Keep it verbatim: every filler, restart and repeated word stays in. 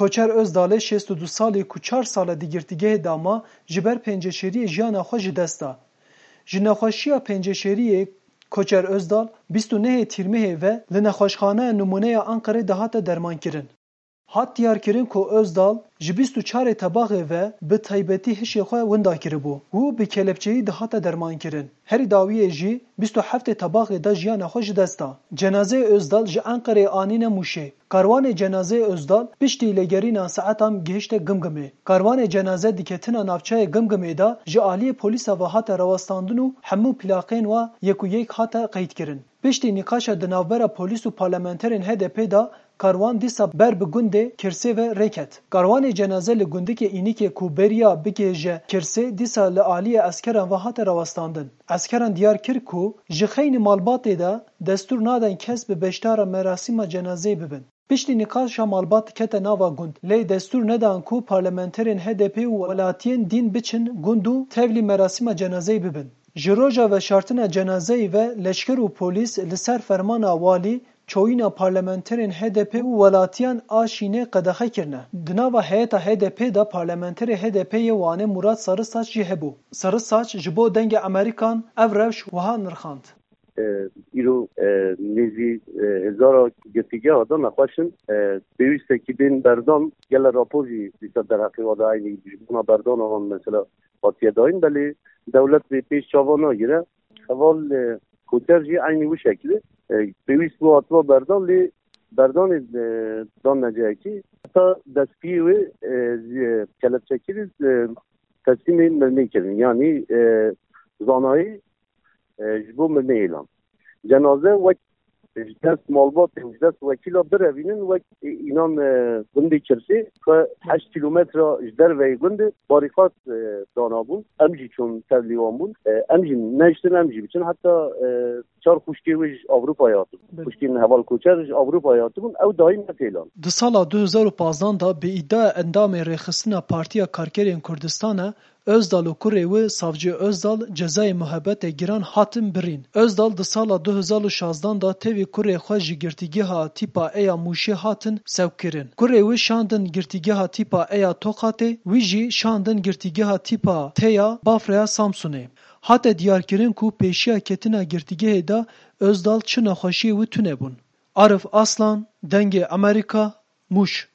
Koçer Ozdalê şêst û du salî ku çar sal e di girtîgehê de ma, ji ber penceşêriyê jiyana xwe ji dest da. Ji nexweşiya penceşêriyê Koçer Ozdal bîst û nehê Tîrmehê ve li nexweşxaneya Nimûneya Enqerê dihate dermankirin. Hat diyarkirin ku Ozdal ji bîst û çarê Tebaxê ve bi taybetî hişê xwe winda kiribû û bi kelepçeyî dihate dermankirin. Herî dawiyê jî bîst û heftê Tebaxê de jiyana xwe ji dest da. Cenazeyê Ozdal ji Enqereyê anîne Mûşê. Karwanê cenazeyê Ozdal piştî lêgerîna saetan gihişte Gimgimê. Karwanê cenaze di ketina navçeyê Gimgimê de ji aliyê polîsa ve hate rawestandin û hemû plaqên wa yek û yek hate qeydkirin. Piştî nîqaşa di navbera polîs û parlamenterên H D P de karwan dîsa ber bi gundê Kirsê ve rê ket. Karwanê cenaze li gundikê Înîkê ku beriya bigihêje Kirsê dîsa li aliyê eskeran ve hate rawestandin. Eskeran diyar kir ku ji xeynî malbatê de destûr nadin kes bi beşdara merasîma cenazeyê bibin. Piştî nîqaşa malbat kete nava gund, lê destûr nedan ku parlamenterên H D P û welatiyên dîn biçin gund û tevlî merasîma cenazeyê bibin. Ji roja veşartina cenazeyê ve leşker û polîs li ser fermana walî çoyîna parlamenterên H D P û welatiyan a Şînê qedexe kirine. Di nava heyeta H D P de parlamenterê H D P yê Wanê Murat Sarısaç jî hebû. Sarısaç ji bo Dengê Amerîkan ev rewş wiha nirxand. E, îro, e, nêzî, e, hezara girtîgeha de nexweş in. E, pêwîstekî bên berdan, gele rapor jî dîsa derheqê wa de eynî ji bona berdana wan mesela hatiye dayîn, belê dewlet vê pêş çava nagire. Heval, e, Koçer jî eynî wî şekilî, e, pêwîst bû hatiba berdan, lê berdanê, e, dan neceyekî heta destpiyê wê, e, zî, e, kelepçekirî, e, teslîmê mirinê kirin. Yanî, e, zanayî, e, ji bo mirinê êlan. Cenaze wek ji dest malbatê û ji dest wekîla birevînin wek, e, înan, e, gundê Kirsê ku heşt kîlometre ji derveyê gundê barîqat, e, danabûn. Em jî çûn tevlî wan bûn. E, em jî neştin, em jî biçin. Heta, e, çar xwişkê wê ji Ewropayê hatibûn. Belê. Xwişkên heval Koçer ji Ewropayê hatibûn. Ew dayîn ne têlan. Di sala du hezar û pazdan de bi îdiaya endamê Rêxistina Partiya Karkerên Kurdistana, Ozdal û kurê wî Savcî Ozdal cezayê muhebetê giran hatin birîn. Ozdal di sala du hezar û şazdan de tevî kurê xwe ji girtîgeha tîpa E ya Mûşê hatin sewkirin. Kurê wî şandin girtîgeha tîpa E ya Toqatê, wî jî şandin girtîgeha tîpa T ya Bafraya Samsunê. Hate diyarkirin ku pêşiya ketina girtîgehê de Ozdal çi nexweşiyê wî tune bûn. Arif Aslan, Dengê Amerîka, Mûş.